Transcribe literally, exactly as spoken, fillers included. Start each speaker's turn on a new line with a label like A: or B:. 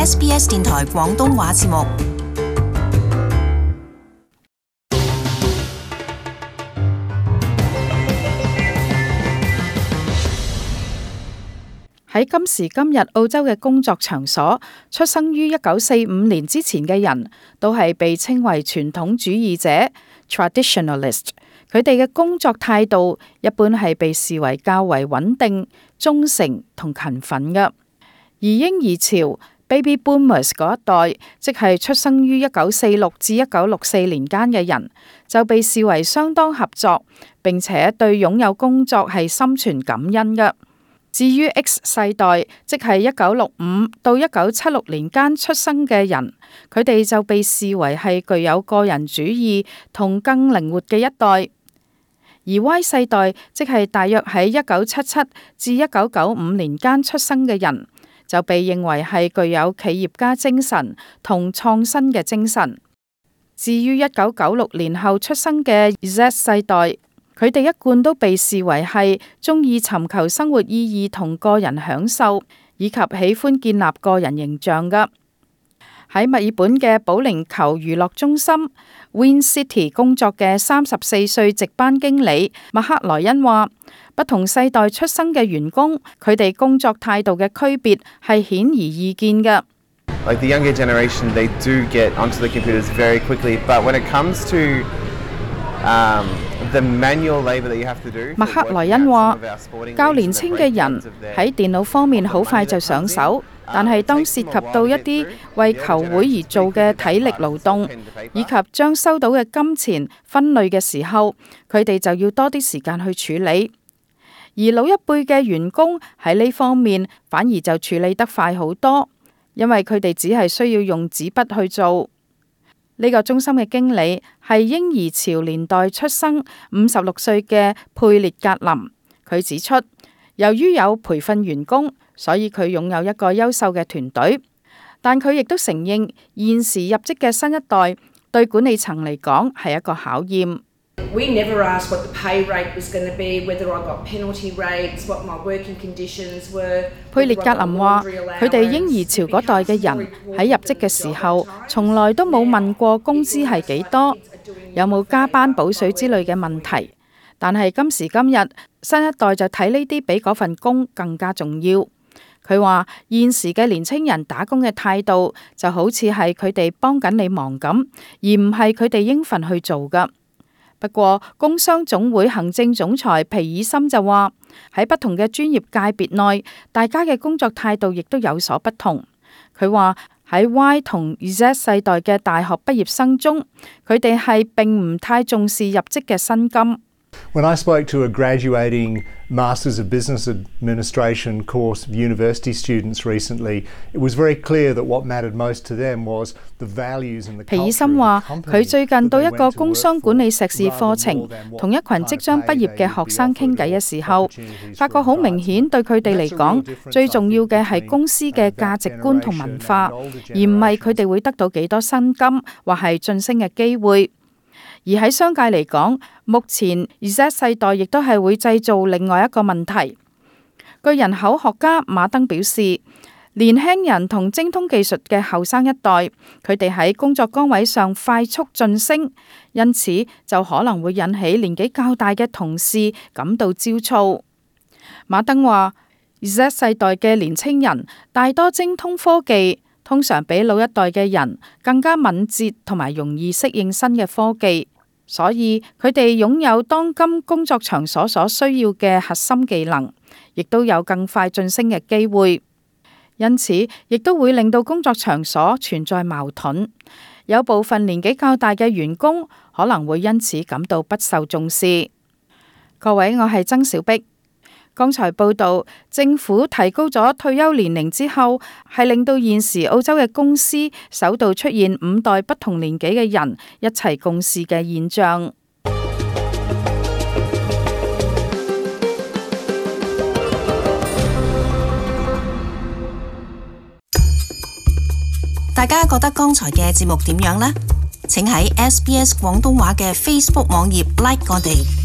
A: S B S 電台廣東話節目。
B: 喺今時今日澳洲嘅工作場所，出生於一九四五年之前嘅人都係被稱為傳統主義者 （traditionalist）。佢哋嘅工作態度一般係被視為較為穩定、忠誠同勤奮嘅。而嬰兒潮 （baby boomers） 嗰一代，即係出生於一九四六至一九六四年間嘅人，就被視為相當合作，並且對擁有工作係心存感恩嘅。至於 X 世代，即係一九六五到一九七六年間出生嘅人，佢哋就被視為係具有個人主義同更靈活嘅一代。而 Y 世代，即係大約喺一九七七至一九九五年間出生嘅人，就被認為係具有企業家精神同創新嘅精神。至於一九九六年後出生嘅 Z 世代，佢哋一貫都被視為係中意尋求生活意義同個人享受，以及喜歡建立個人形象嘅。喺墨爾本嘅保齡球娛樂中心 Win City 工作嘅三十四歲值班經理麥克萊恩話，不同世代出生嘅員工，佢哋工作態度嘅區別係顯而易見嘅。
C: Like the younger generation, they do get onto the computers very quickly, but when it comes to um, the manual labor that you have to do，
B: 麥克萊恩話，較年輕嘅人喺電腦方面好快就上手，但係當涉及到一啲為球會而做嘅體力勞動，以及將收到嘅金錢分類嘅時候，佢哋就要多啲時間去處理。而老一輩嘅員工喺呢方面反而就處理得快好多，因為佢哋只係需要用紙筆去做。呢個中心嘅經理係嬰兒潮年代出生五十六歲嘅佩列格林。佢指出，由於有培訓員工，所以佢擁有一個優秀嘅團隊。但佢亦都承認，現時入職嘅新一代對管理層嚟講係一個考驗。
D: We never asked what the pay rate was going to be, whether I got penalty rates, what my working conditions were.
B: 佩列格林話：佢哋嬰兒潮嗰代嘅人喺入職嘅時候，從來都冇問過工資係幾多，有冇加班補水之類嘅問題。但係今時今日，新一代就睇呢啲比嗰份工更加重要。佢話現時嘅年青人打工嘅態度就好似係佢哋幫緊你忙咁，而唔係佢哋應份去做㗎。不過，工商總會行政總裁皮爾森就話，喺不同嘅專業界別內，大家嘅工作態度亦都有所不同。佢話喺 Y 同 Z 世代嘅大學畢業生中，佢哋係並唔太重視入職嘅薪金。
E: When I spoke to a graduating Masters of Business Administration course of university students recently, it was very clear that what mattered most to them was the values and the culture of the company.
B: 皮爾森話：佢最近到一個工商管理碩士課程，同一群即將畢業嘅學生傾偈嘅時候，發覺好明顯對佢哋嚟講，最重要嘅係公司嘅價值觀同文化，而唔係佢哋會得到幾多薪金或係晉升嘅機會。而喺商界嚟講，目前 Z 世代亦都係會製造另外一個問題。據人口學家馬登表示，年輕人同精通技術嘅後生一代，佢哋喺工作崗位上快速晉升，因此就可能會引起年紀較大嘅同事感到焦躁。馬登話 ：Z 世代嘅年青人大多精通科技，通常比老一代嘅人更加敏捷同埋容易適應新嘅科技。所以佢哋擁有當今工作場所所需要嘅核心技能，亦都有更快晉升嘅機會。因此，亦都會令到工作場所存在矛盾。有部分年紀較大嘅員工可能會因此感到不受重視。各位，我係曾小碧。剛才報道，政府提高咗退休年齡之後，係令到現時澳洲嘅公司首度出現五代不同年紀嘅人一齊共事嘅現象。
A: 大家覺得剛才嘅節目點樣呢？請喺 S B S 廣東話嘅 Facebook 網頁 like 我哋。